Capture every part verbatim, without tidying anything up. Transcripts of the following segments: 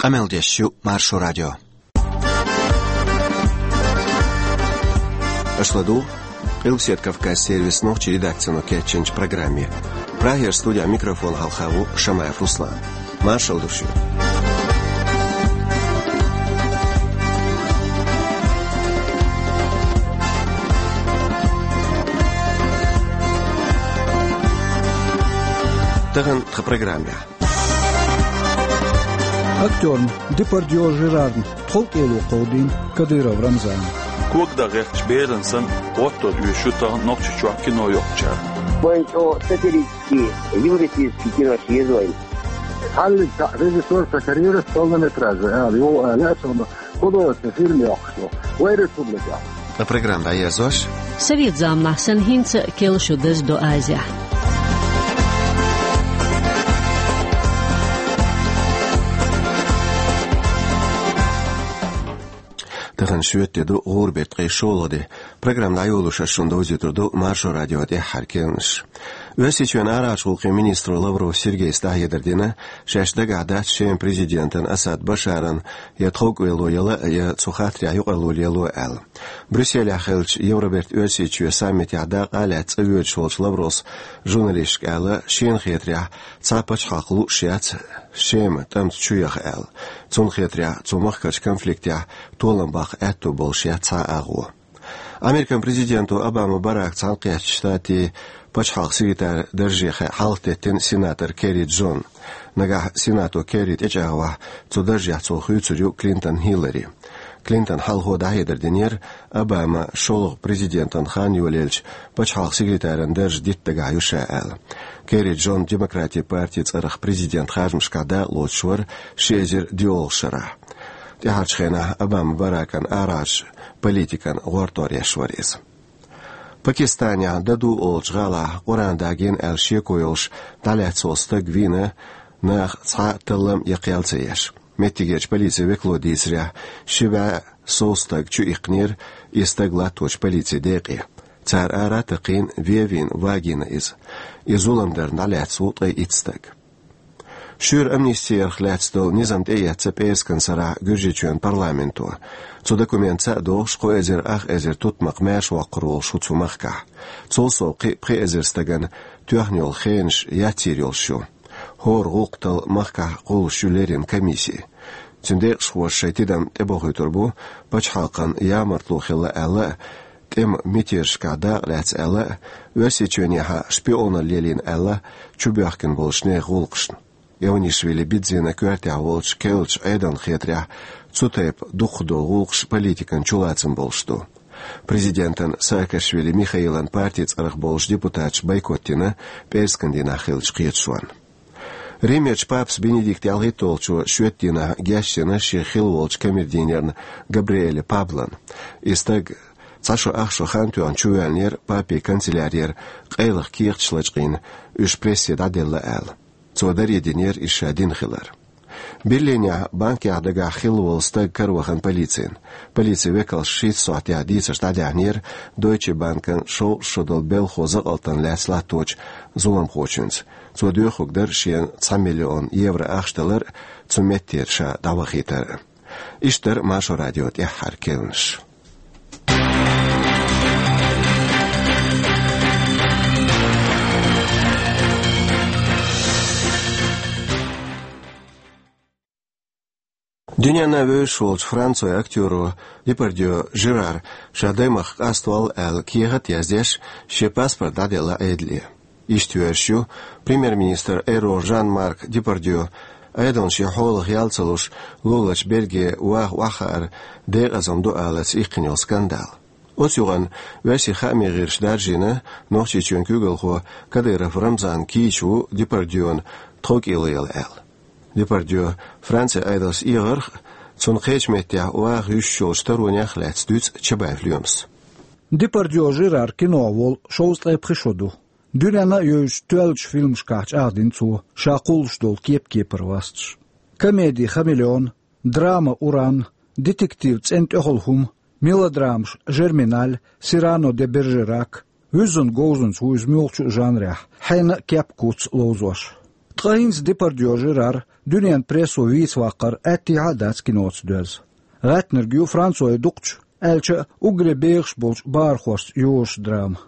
Къамел деш ю Маршо радио. Аша ладугӀу Къилбаседа Кавказ сервисан нохчийн редакцино кечйинчу программе. Прагера студехь микрофон хьалха ву Шамаев Руслан. Маршалла ду шуьга. Тахана тхан программехь. Актёрна Депардье Жерарна тховкӀело кховдийна Кадыров Рамзана. Кога дан гӀертачу берана санна, гӀоттор оьшуш ю тахана Нохчийчохь кино йоккхучара. Вайн чӀогӀа сатирический, юмористический кинош еза вайн. Хьаллиг цхьаъ режиссёр сан карьерас полнометражный ала, йо, ала, а цунна художественный фильм йоккхуш ю. Вайн республикехь. Ткъа программа дӀаерзош. Совет заманахь санна хӀинца а керла шо даза до Азехь. Тахана шоьтан де ду, гӀуран беттан ткъе шолгӀа де. Программа дӀайолош ас шуна довзуьйтур ду Маршо радион тӀаьххьара керланаш. Оьрсийчоьнан арахьарчу гӀуллакхийн министро Лавров Сергейс дӀахьедар дина, шаьш дагахь дац Шеман президентан Асад Башаран я тховкӀело яла, я цу хаттарехь юкъарло лело аьлла. Брюсселехь хиллачу Евробертан Оьрсийчоь саммитехь дакъа а лаьцна цӀа воьдуш волчу Лавровс журналисташка аьлла, шена хетарехь, цхьа пачхьалкх лууш яц Шема тӀамца чу яха аьлла. Цунна хетарехь, цу махкарчу конфликтехь толам баккха аьтто болуш яц цхьа а агӀо. Американ президенто Обама Барака Цхьаьнакхеттачу Штатийн пачхьалкхан секретаран дарже хьалхатеттина сенатор Керри Джон. Нагахь сенато Керри тӀечӀагӀвахь, цу даржехь цо хуьйцур ю Клинтон Хиллари. Клинтона хьалхо дӀахьедар динера, Обама шолгӀа президентан хан йолаелча пачхьалкхан секретаран дарж дитта дагахь ю ша аьлла. Керри Джон Демократийн партин цӀарах президентан харжамашкахь дакъа лоцуш вара ши эзар диъолгӀачу шарахь. ТӀаьхьарчу хенахь Обама Баракан арахьарчу политикан гӀортор еш вара иза. Пакистанехь Даду олучу гӀалахь Къуръан дагийна аьлла шеко йолуш дӀалаьцна волу стаг вийна, наха цхьа а таллам я кхел ца еш. Меттигерчу полицин векало дийцарехь, ши бӀе сов стаг чуиккхинера и стаг латточу полицин декъе. Цара ара а такхийна, вен а вийна, вагийна иза. И зулам дарна дӀалаьцна ву ткъе итт стаг. Шуьйра амнистиярх лаьцна долу низам тӀеэцна пӀераскан сарахь Гуьржийчоьнан парламенто. Цу документаца а догӀуш, кхо эзар ах эзар тутмакх маьршавоккхур волуш ву цу махкахь. Цул сов кхин а пхи эзар стагана тоьхна йолу хенаш яцйийр йолуш ю. ХӀора гӀуллакх талла махкахь кхуллуш ю леррина комисси. Цуьнан декъашхоша шайн тидам тӀебохуьйтур бу, пачхьалкхан ямартло хилла аьлла а, тӀеман мятежашкахь дакъа лаьцна аьлла а, Оьрсийчоьнехьа шпионалла лелийна аьлла а, чубоьхкина болчу нехан гӀуллакхашна. Эванишвили Бидзина коьртехь волчу керлачу Ӏедална хетарехь, цу тайпа дукхахдолу гӀуллакхаш политикан чулацам болуш ду. Президентан Саакашвили Михаилан партин цӀарах болчу депутаташа бойкот дина, пӀераскан дийнахь хиллачу кхеташонна. Римерчу папас Бенедикт ялхитталгӀачо шоьтан дийнахь гечдина шен хилла волчу камердинерна Габриэле Паблона. И стаг цхьа шо ах шо хан тоьхна чувоьллинера папин канцелярера, къайлаха кехаташ лачкъийна, уьш прессе дӀаделла аьлла. Цо даре динера иза ша дина хилар. Берлинехь банкехь дагахь хилла волу стаг каравахана полицина. Полицин векалша шийтта сохьтехь дийцарш дӀадаьхьнера Дойче банкан шовзткъа шо долу белхо закъалтана лаьцна латточу зуламхочуьнца. Цо доьхург дара шена цхьа миллион евро ахча далар а, цу меттера ша дӀавахийтар а. Иштта дара Маршо радион тӀаьххьара керланаш. Дуьненна вевзаш волчу Францойн актёро Депардье Жерара ша даймахка къаставолла аьлла кехат а яздеш, шен паспорт дӀаделла Ӏедале. Иштта йоьрзуш ю премьер-министр Эро Жан-Марк Депардье, Ӏедална шен хьолах ял ца луш, луларчу Бельге ваха охьахаар декъазалла ду аларца иккхина йолу скандал. Оцу юкъанна оьрсийн хаамийн гӀирсаша даржийна, Нохчийчоьнан куьйгалхо Кадыров Рамзан кийча ву Депардьена тховкӀело яла аьлла. Депардье Францин Ӏедалца эгӀарх а, цунна кхечу меттехь ваха юьсуш йолчу таронех а лаьцна дуьйцу Чабаев Лемас. Депардье Жерар кино волу шовзткъе пхи шо ду. Дуьненна а йовзуш тоьллачу фильмашкахь чӀагӀдина цо ша кхуллуш долу кеп-кепара васташ. Комеди «Хамелеон», драма «Уран», детектив «ЦӀена тӀехула хӀума», мелодрамаш «Жерминаль», «Сирано де Бержерак», вуьззина говзанца ву иза муьлххачу а жанрехь, хьенан а кеп-куц ловзош. Ткъа хӀинца Депардьё Жерар дуьненан прессо вийца ваккхар аьттехьа а дац киноца доьзна. ГӀаьттинарг ю Францойн дукхачу, аьлча а уггаре бехаш болчу бахархошца йозуш драма.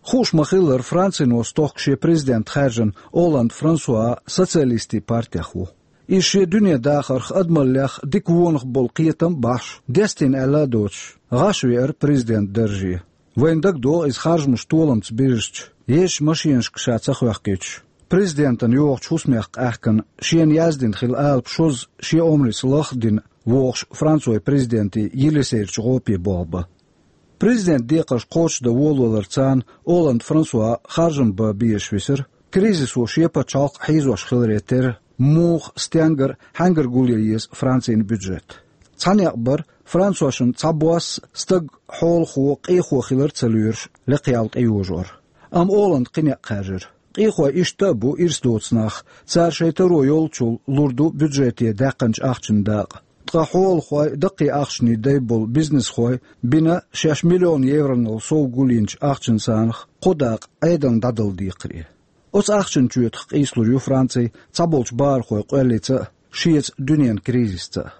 Хууш ма-хиллара, Францино стохка шен президент хаьржина Олланд Франсуа социалистийн партех ву. Иза шен дуьненан дахарх, адамаллех дика вонах болу кхетам а бахьаш, дестийна аьлла а доцуш, гӀаш веара президентан дарже. Вайна дагадогӀу иза харжамаш толамца бирзича, езачу машенашка ша ца хоьхкуьйтуш, президентана йогӀучу хӀусамех къаьхкина, шена яздина хилла алапа шозза шен омрица лах а дина вогӀуш Францойн президентан Елисейрачу гӀопе болх бан. Президентан декхарш кхочушдан волаваларца Олланд Франсуа харжам бан безаш висира, кризисо шен пачхьалкх хьийзош хиларе терра, муха, стенгара, хьаьнгара гулъян еза Францин бюджет. Цхьа некъ бара, францошна цхьабосса стаг, хьолахо, къехо хилар а ца лоьруш, лекха ял тӀейожор. Амма Олланда кхин некъ хаьржира. Къехой иштта а бу ирс доцу нах, цара шайн таро йолчул лур ду бюджете даьккхинчу ахчанан дакъа. Ткъа хьолахой, даккхий ахчанийн дай болу бизнесхой бина шаьш миллион евронал сов гулйинчу ахчанан санах кхо дакъа Ӏедална дӀадала декхаре. Оцу ахчанан чоьтах къийсалур ю Франци цхьаболчу бахархойн къоьллица а, шеца дуьненан кризисца а.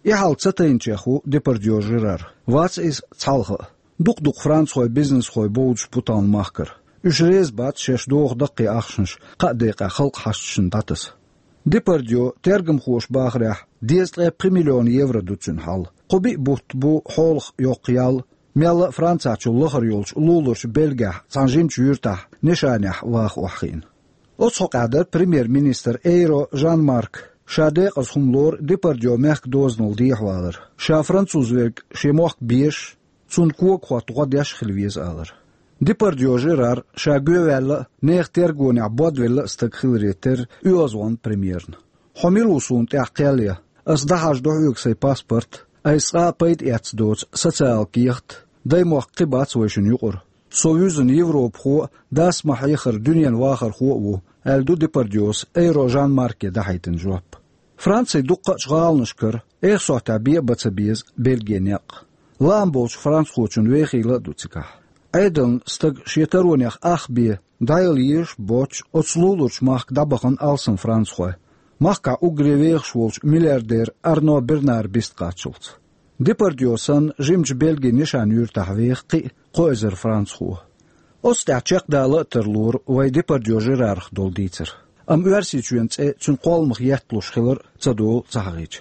И хьал ца тайначех ву Депардьё Жерар. Вац иза цхьалха а. Дукха-дукха францхой, бизнесхой бовдуш бу тахана махкара. Уьш реза бац шаьш доху даккхий ахчанаш кхаа декъехь халкъан хьашташна дӀатаса. Депардьё, тергамхоша бахарехь, дезткъе пхи миллион евро ду цуьнан хьал. Кхо-биъ бутт бу хьолах йоккха ял, мелла а Францехь чул лахара йолчу луларчу Бельгехь цхьана жимачу юьртахь нешанехь ваха охьахиъна. Оцу хьокъехь дара премьер-министр Эйро Жан-Марк. Ша декъаза хӀума лору Депардьё мехкан дозанал дехьавалар. Ша француз верг шен мохк безаш, цунна когахӀотта гӀо деш а хила веза алар. Депардьё Жерар ша гоьваьлла а, нехан тергонехь бодвелла а стаг хиларе терра оьгӀазвахана премьерна. Хьо мила ву суна тӀехь кхел ян? Ас дӀахьажа ду хьоьга сайн паспорт, айса цкъа а пайда эцна доцу социалан кехат, даймохк кхин бац вайшинна юкъара. Со вуьзна европахо а, дас ма-хьеххара дуьненан вахархо а ву, аьлла ду Депардьёс Эйро Жан-Марке дахьийтина жоп. Францин дуккха а гӀаланашкара, эх сохьтехь бен а бан ца беза Бельгин некъ. Лаам болчу францхочун вехийла а ду цигахь. Ӏедална стаг шен таронех ах бен дӀаяла езаш а боцуш, оцу луларчу махка дӀабахана алсам францхой, махкахь уггаре вехаш волчу миллиардер Арно Бернар бист кхаччалц. Депардьё санна, жимачу Бельгин нешан юьртахь веха кхин а кхо эзар францхо. Оцу тӀехь чекхдала а тарлора вай Депардьё Жерарах долу дийцар. Амма Оьрсийчоьнан цӀе цуьнан кхолламах етталуш хилар а ца долу ца хьахийча.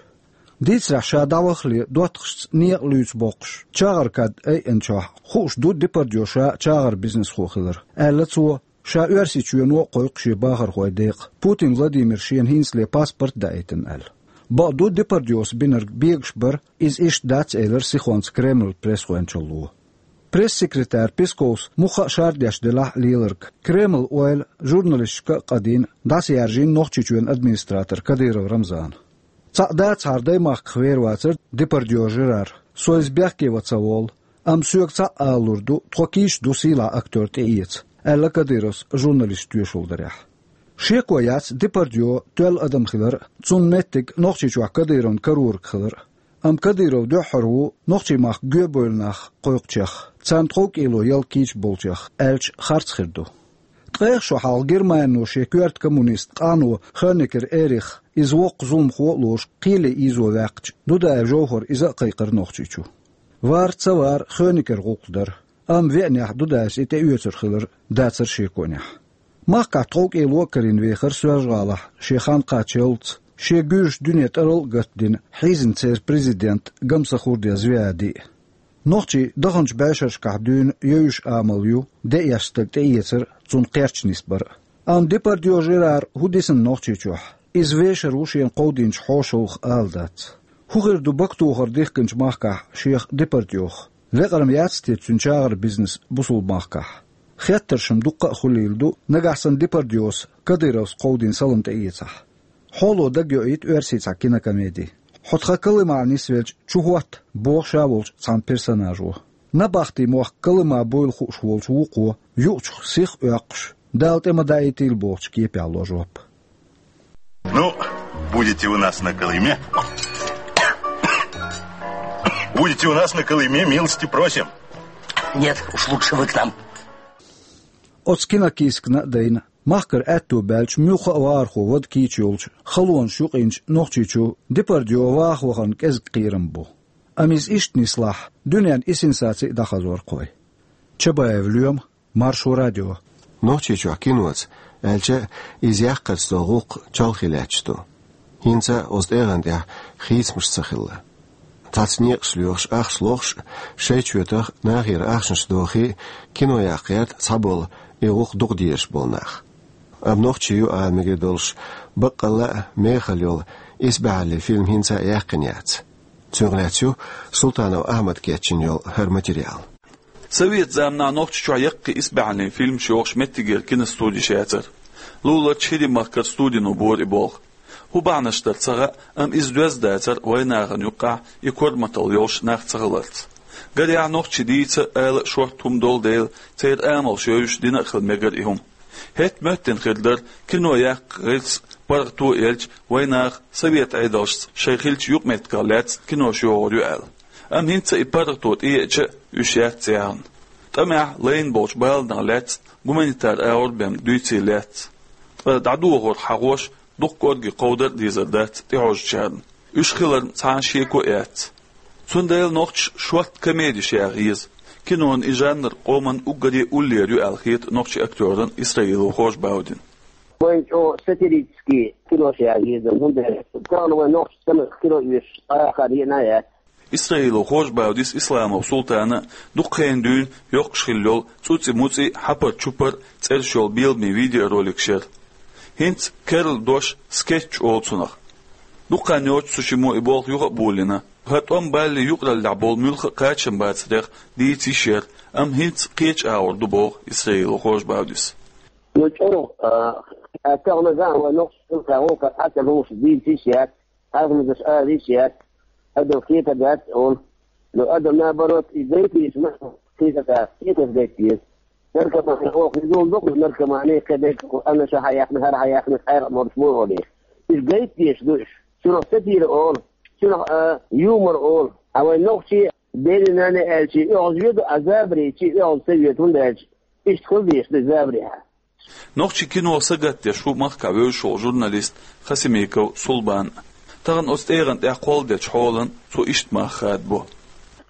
Дийцарехь, ша дӀавахале доттагӀашца некъа луьйца боккхуш, чагӀар кад айъинчохь, хууш ду Депардьё ша чагӀар бизнесхо хилар, аьлла цо, ша Оьрсийчоьно а кхойкху шен бахархойн декъа, Путин Владимира шена хӀинцале паспорт а даийтина аьлла. Бакъду, Депардьёс бинарг бегаш бара, иза иштта дац, элира сихонца Кремлан пресс-гӀоьнчалло. Пресс-секретарь Песковс мухха а шардеш делахь а леларг, Кремлан ойла журналисташка а къадийна, дӀасаяьржийна Нохчийчоьнан администратор Кадыров Рамзана. Цхьаъ дацахьара даймахках вер вацара Депардьё Жерар, со иза бехке ван ца волу, амма соьга цхьаъ алалур ду, тхо кийча ду сийлахь актер тӀеэца, аьлла Кадыровс журналисташ тоьшалла дарехь. Шеко яц Депардьё тоьлла адам хилар а, цунна меттиг Нохчийчохь Кадыровна карораг хилар а. Амма Кадыров дуьххьара ву нохчийн махка гоьбевлла нах кхойкхучех, царна тховкӀело ял кийча болчех, аьлча харц хир ду. Ткъех шо хьалха Германино шен коьрта коммунист къано Хонекер Эрих, иза воккха зуламхо а лоруш, кхеле ийзо ваьккхича, Дудаев Жовхар иза а кхайкхара Нохчийчу. Вар ца вар, Хонекера гӀуллакх дара, амма веанехь Дудаевс и тӀеоьцур хилар дацара шеконехь. Махкахь тховкӀело а карийна вехара Соьлжа-ГӀалахь шен хан кхаччалц, шен гуьржийн дуьне тӀарал а гатдина, хьийзина церан президент Гамсахурдиев Звиади. Нохчийн даханчу бӀешерашкахь дуьйна евзаш амал ю деэш стаг тӀеэцар а, цунна кхерч нисбар а. Амма Депардьё Жерар хӀун дисина Нохчийчохь? Иза вешар ву шена кховдийначу хьошалгӀах ала дац. ХӀун хир ду бактохар дихкинчу махкахь шех Депардьёх? Лекъарма яц те цуьнан чагӀар бизнес бусулба махкахь? Хеттарш-м дуккха а хуьлийла ду, нагахь санна Депардьёс Кадыровс кховдийна салам тӀеэцахь. Хьоло дагайоуьйту оьрсийн цхьа кинокомеди. Хьо тхан Колымахь нисвелча чу хӀотта, боху ша волчу цхьана персонажо. Набахтин мохк Колыма буйла хууш волчу вукхо, юучух сих а оьккхуш, Дала тӀе ма даийтийла бохучу кепехь ло жоп. Ну, будете у нас на Колыме? Будете у нас на Колыме, милости просим. Нет, уж лучше вы к нам. Оцу кинокийсакна а дайна, Махкара аьтту баьлча муьлхха а вахархо вада кийча йолчу халонаш юкъинчу Нохчийчу Депардьё ваха вахарна кӀезиг кхерам бу. Амма иза иштта нислахь, дуьненна и сенсаци а дӀахазор кхой. Чабаев Лоьма, Маршо радио. Нохчийчохь киноца, аьлча, иза яккхарца долу гӀуллакх чолхе лаьтташ ду. ХӀинца а оцу тӀегӀан тӀехь хийцамаш ца хилла. Цхьацца некъаш лоьхуш, ахча лохуш а, шайн чоьтах нахера ахчанаш дохий а, кино яккха гӀерта цхьаболу и гӀуллакх дукха дезаш болу нах. Амма нохчий ю ала мегар долуш, баккъалла а мехала йолу «Исбаьхьаллин» фильм хӀинца а яьккхина яц. Цуьнах лаьцна ю Султанов Ахьмада кечйина йолу хӀара материал. Советан заманахь Нохчийчохь яккхий исбаьхьаллин фильмаш йохуш меттигера киностудеш яцара. Луларчу ХӀирийн махкара студино бора и болх. ХӀун бахьанаш дара ца хаьа, амма иза доьзна дацара вайнахана юккъехь и корматалла йолуш нах ца хиларца. Гарехь, нохчий дийца, ала а шортта хӀума долу дела, церан амалш йовзуш дина а хила мегара и хӀума. ХӀетта моьттина хир дара, кино яккха гӀирс паргӀато а елча, вайнаха совет Ӏедалшца шайн хиллачу юкъаметтигах лаьцна кинош йохур ю аьлла. Амма хӀинца и паргӀато тӀееача а, уьш яц цӀеххьана. ТӀамехь лайна болчу баланах лаьцна гуманитар агӀор бен дуьйцийла яц. Ткъа дӀадохург хьахош, дукха кӀорге кховдар а дезар дац тӀехьожучарна. Уьш хиларна цхьана шеко а яц. Цундела нохчаша шортта комедиш яха еза. Кинон и жанр къоман уггаре уллера ю аьлла хета нохчийн актёрна Исраилов Хож-Баудина. Вайн чӀогӀа сатирический кинош яха еза, хӀунда аьлча тахана вайн нохчаша стамах кино оьшуш, арахар еана а яц. Исраилов Хож-Баудис, Исламов Султана дукха хенахь дуьйна йоккхуш хилла йолу «ЦӀуцӀи-муцӀи», «Хьапар-чупар» цӀераш йолу беламе видеороликаш яра. ХӀинца керла дош скетч олу цунах. Дукха хан йоццуш цу шиммо и болх юха а болийна. ХӀара тӀом балале юкъараллехь болу муьлхха а кхачам бацарех дийца йиш яра, амма хӀинца кхечу агӀор ду, боху Исраилов Хож-Баудис. Ну, чӀогӀа, а, тахана ган вайн нохчаша гӀуллакх хьаца лууш дийца йиш яц, хьархамазаш ала йиш яц, адам кхетар дац олу. Но адам, наоборот, и гайтийша ма, кхетар дац, кхетар гайтийша. Наркомани оха иза ду, наркомани кхе дерг, аннаша хьаяхна, хӀара хьаяхна, къайгӀа морш мо олий. Уьш гайтдеш ду уьш. Цунах сатира олу, цунах, а, юмор олу. А вайн нохчий, дели-нани аьлчи, оьгӀаз йоьду, а забарийчи, оьгӀаз ца йоьду, хӀунда аьлча иштта хила дезаш ду забарехьа. Нохчийн кино сагатдеш ву махкахь вевзаш волу журналист Хасимиков Сулбан. Тахана оцу тӀегӀан тӀехь кхолладечу хьолан цо иштта мах хадабо.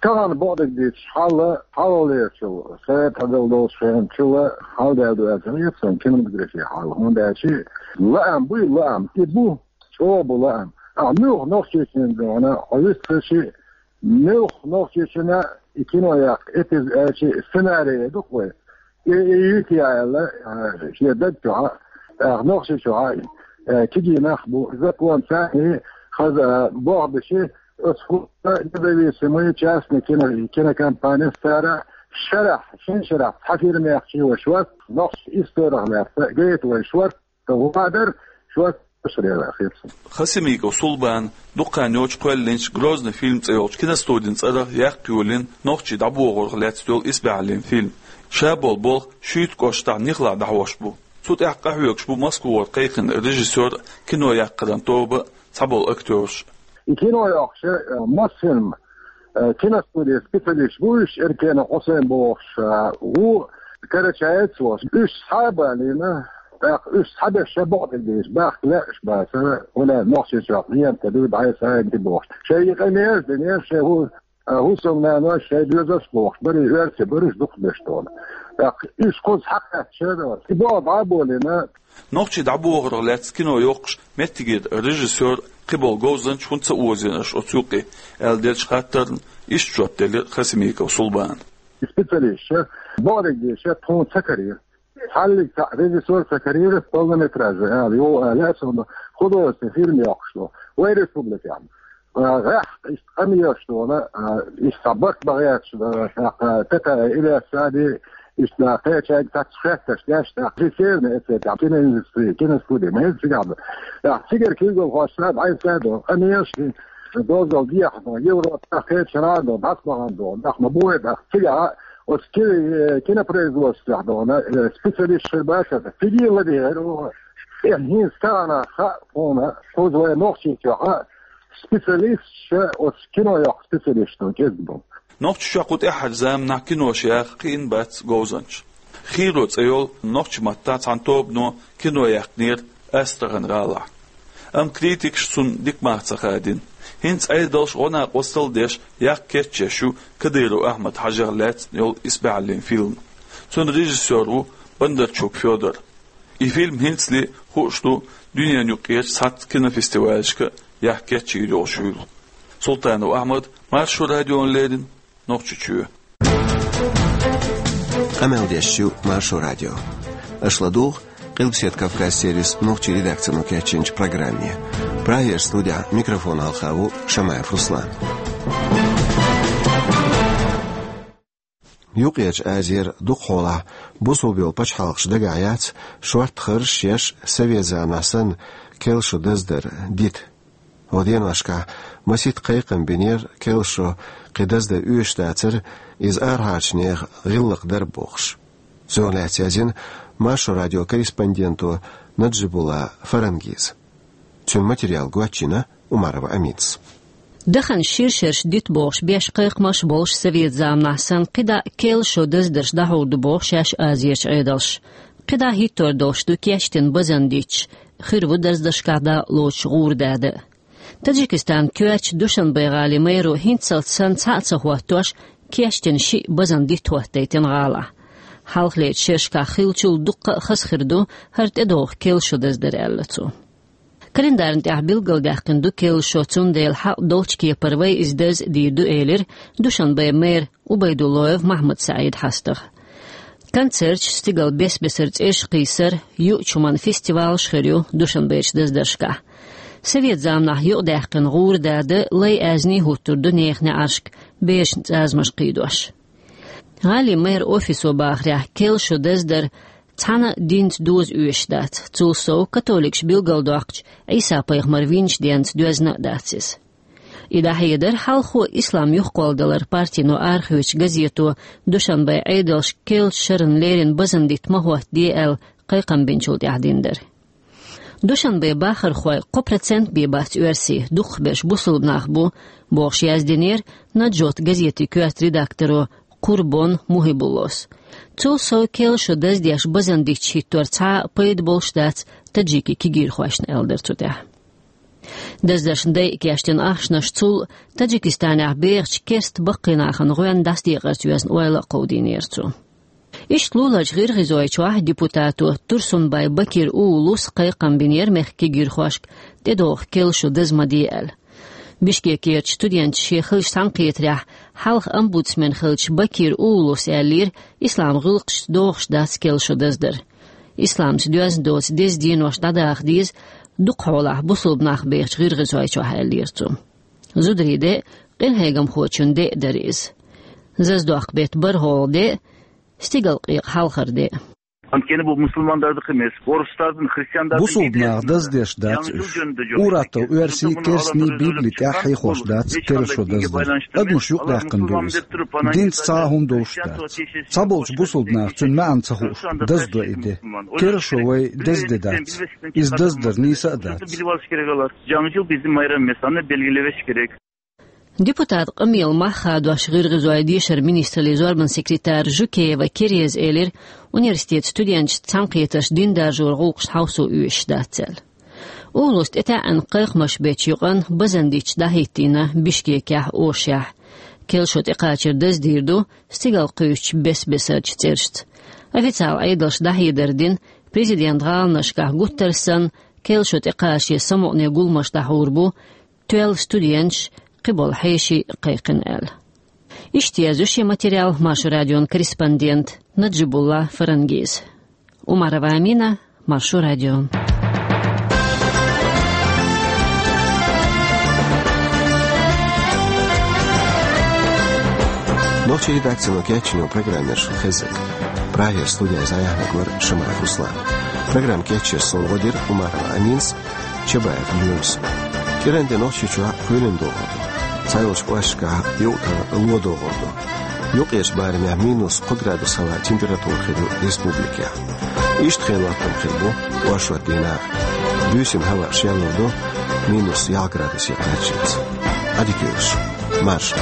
Тахана бакъдерг дийцича, хьал, хьалхалерчул, совет хьадала долчу хенахь чул хьалдаьлла ду аьлла ца хета суна кинематографин хьал, хӀунда аьлча лаам буй, лаам, и бу, чӀогӀа бу лаам. Ахьа муьлха Нохчийчоьнна дуьхьал хьо вистхуьлчи, муьлха Нохчийчоьнна и кино яккха эпиза аьлчи сценарий ду-кх вай. И, и юьйта яьлла, а, шен даг чохь, а, Нохчийчохь, а, кегий нах бу, закон царний хаза, а, бохбиши, оцу хӀума независимый частный кино-, кинокомпанеш цара шарахь, шина шарахь цхьа фирма яхчий вай шортта, нохчийн историх лаьцна гайта вай шортта, ГӀо дар шо ташхарера хир. Хасимиков Сулбан дукха хан йоццуш кхоьллинчу «Грозный фильм» цӀе йолчу киностудин цӀарах яккха йолийна нохчий дӀабохорх лаьцна йолу исбаьхьаллин фильм. Ша болу болх Шуьйта кӀоштахь Нихлахь дӀахьош бу. Цу тӀехь къахьоьгуш бу Москвара кхайкхина режиссёр а, кино яккхаран тоба а, цхьаболу актёраш а. И кино йоккхуш, э, Мосфильм, э, киностудин специалисташ бу уьш, Эркенов Хьусайн бохуш, э, ву карачаец волуш. Уьш схьа а балийна, тӀаккха уьш схьаберш ша бакъдерг дийцича, бахка лаьаш бацара, хӀунда аьлча Нохчийчохь лента дуй дӀай сайна тӀе бохуш. Шайн и къамелаш динера, шайн хӀу-, э, хӀусамнаной, шайн доьзалш бохуш, барий оьрсий бараш дукхахберш долу. ТӀаккха уьш кхуза схьакхаьчча, и болх дӀа а болийна, Нохчий дӀабохорх лаьцна кино йоккхуш меттигера режиссёр, кхиболу говзанча хӀунда ца озийна аша оцу юккъе, аьлла деллачу хаттарна иштта жоп делира Хасимиков Сулбана. Специалисташа, бакъдерг дийцича, тхуна ца карийра. Цхьаллиг цхьаъ режиссёр ца карийра, полнометражный ала, йо, ала, аса художественный фильм йоккхуш ду. Вай республикехь. А, гӀеххьа, иштта къамелаш долу, а, иштта барт бан гӀерташ, а, тӀаккха Ильяс Сади, иштта кхечаьрга цхьацца хеттарш деш, тӀаккха Северный Осетия, киноиндустрия, киностудия, ма хӀинца цигахь ду. ТӀаккха цигара куьйгалхоша дӀасаьдо, къамелаш, дозалла дехьа ду, Европа, кхечу шарахь ду, дӀасабахана ду, тӀаккха ма бу вай, тӀаккха цигахь, оцу ки-, э, кинопроизводствехь ду, э, специалист хир бац, цига ладийгӀира, э, хӀинца тахана хаьа хьуна, хӀуза вай Нохчийчохь, специалисташ, оцу кино йоккху специалисташ кӀезиг бу. Нохчийчохь кху тӀаьххьарчу заманахь кинош яха кхиъна бац говзанча. «Хийро» цӀе йолу нохчийн маттахь цхьана тобано кино яьккхинера Астрахань гӀалахь. Амма критикаша цунна дика мах ца хадийна. ХӀинца Ӏедалша гӀо-накъостал а деш, яккха кечъеш ю Кадыров Ахьмад-Хьажех лаьцна йолу исбаьхьаллин фильм. Цуьнан режиссёр ву Бондарчук Фёдор. И фильм хӀинцале хууш ду дуьненан юккъерчу цхьацца кинофестивалашка а яккха кечйийр йолуш хуьлу. Султанов Ахьмад, Маршо радиона леррина, Нохчийчоь. Къамел деш ю Маршо радио. Аша ладугӀу Къилбаседа Кавказ сервисан нохчийн редакцино кечйинчу программе. Прагера студехь микрофон хьалха ву Шамаев Руслан. Юккъерчу Азера дукхахьолахь бусалба йолу пачхьалкхаш дагахь яц шортта харжаш еш, совет заманахь санна, керлачу даздар дита. Оцу деношкахь масийтта кхайкхам бинера, керлачо кхин даздар оьшуш дацара, иза арахьарчу нехан гӀиллакх дара бохуш. Цунах лаьцна яздина Маршо радион корреспонденто Наджибулла Фарангиза. Цуьнан материал гочйина Умарова Аминас. Дахана шира шераш дита бохуш беш кхайкхамаш а болуш, совет заманахь санна, кхидӀа керлачу даздарш дӀахьур ду боху шаьш Азерчу Ӏедалша. КхидӀа хӀиттор долуш ду кечдина базан дитташ, хир ву даздаршкахь дакъа лоцуш гӀура дада а. Таджикистанан коьртачу Душанбе-гӀалин мэро хӀинццалц санна цхьаъ а ца хӀоттош, кечдина шиъ базан дитт хӀоттайтина гӀалахь. Хьалхалерчу шерашкахь хиллачул дуккха а хаза хир ду хӀара тӀедогӀу керлачу даздар, аьлла цо. Календарна тӀехь билгалдаьккхина ду керлачо, цундела хьакъ долчу кепара вай иза даза а дийр ду, элира Душанбен мэр Убайдуллоев Махьмад-СаӀида хьастагӀа. Концерташ, стигала бес-бесара цӀераш кхийсар, юучу хӀуманан фестивалаш хир ю Душанберчу даздаршкахь. Совет заманахь юкъадаьккхина гӀура дада лай аьзнийн хӀуттур ду нехан неӀаршка, берашна цӀазамаш кхийдош. ГӀалин мэран офисо бахарехь, керлачу даздар цхьана а динца доза оьшуш дац, цул сов католикаша билгалдоккхучу Ӏийса-пайхамар винчу денца доьзна а дац иза. И дӀахьедар хьалхо ислам юхакхолладаларан партино арахоьцучу газето Душанбен Ӏедалша керлачу шарна леррина базан дитт ма хӀоттаде аьлла кхайкхам бинчул тӀаьхьа дина дара. Душанбен бахархой кхо процент бен бац оьрсий, дукхахберш бусалба нах бу, бохуш яздинера «Наджот» газетан коьрта редакторо Курбон Мухьибуллос. Цул сов керлачу даздеш базан дитташ хӀиттор цхьа а пайда болуш дац таджикийн кегийрхошна, аьлла дара цу тӀехь. Даздаршна дайа кечдина ахчанаш цул Таджикистанехь бехачу керста баккхий нахана гӀоьнна дӀасадекъарца йоьзна ойла а кховдийнера цо. Иштта луларчу ГӀиргӀизойчохь депутато Турсунбай-Бакир улуса кхайкхам бинера мехкан кегийрхошка тӀедогӀу керлачу даза ма де аьлла. Бишкекерчу студенташа шен хиллачу цхьаьнакхетарехь хьалха омбудсмен хиллачу Бакир улуса аьллера, ислам гӀиллакхашца догӀуш дац керлачу даздар. Исламца доьзна доцу деза денош дӀадаха деза дукхахьолахь бусалба нах бехачу ГӀиргӀизойчохь, аьллера цо. Зударий де а, къинхьегамхочун де а дара иза. Заздоккху беттан бархӀалгӀа де а, стигалкъекъа хьалхара де а. Анткени бу мусулмандарда къимес, орустардан, христиандардан. Бусулба нах даздеш дац уьш. Ур-аттал оьрсий, керстаний Библи тӀехь хьехош дац керлачу даздар. Адамаш юкъадаьккхина ду иза. Динца цхьа а хӀума долуш дац. Цхьаболчу бусулба наха цуьнан маьӀна ца хууш, даздо и де. Керлачо вай деза де дац. Иза даздар нийса а дац. Bilmesi gerek. Cangcıl bizim bayramımız, hani belgilemesi gerek. Депутат къамелан мах хадош ГӀиргӀизойн дешаран министраллин зорбанан секретарь Жукеева Кереза элира, университетан студенташца цхьаьнакхетарш дин даржоран гӀуллакхашна хьовсо оьшуш дац аьлла. Улуса тӀетаьӀӀина кхайкхамаш бечу юкъанна базан дитташ дӀахӀиттийна Бишкекехь а, Ошехь а. Керлачо тӀекхачар даздийр ду стигала кхуьйсучу бес-бесарчу цӀерашца. Официалан Ӏедалша дӀахьедар дина, президентан гӀаланашкахь гуттар а санна, керлачо тӀекхачаре самукъане гуламаш дӀахьур бу, тоьлла студенташ, кхиболу хьеший кхайкхина аьлла. Иштта язйо шен материал Маршо радион корреспондента Наджибулла Фарангиза. Умарова Амина, Маршо радио. Нохчийн редакцино кечйина программа яра шуна хезнарг. Прагера студехь иза дӀаяьхьнарг вара Шамаев Руслан. Программа кечъеш суна гӀо дира Умарова Аминас, Чабаев Юнуса. КӀиранде Нохчийчохь кхоьлина догӀур ду. Цхьайолчу кӀошташкахь юкъ-тӀе ло догӀур ду. Юккъерчу барамехь минус кхо градус хилла температура хир ю республикехь. Иштта хенан хӀоттам хир бу оршот дийнахь а. Буьйсанна хӀаваъ шеллалур ду минус ялх градусе кхаччалц. Ӏадика йойла шун. Марша.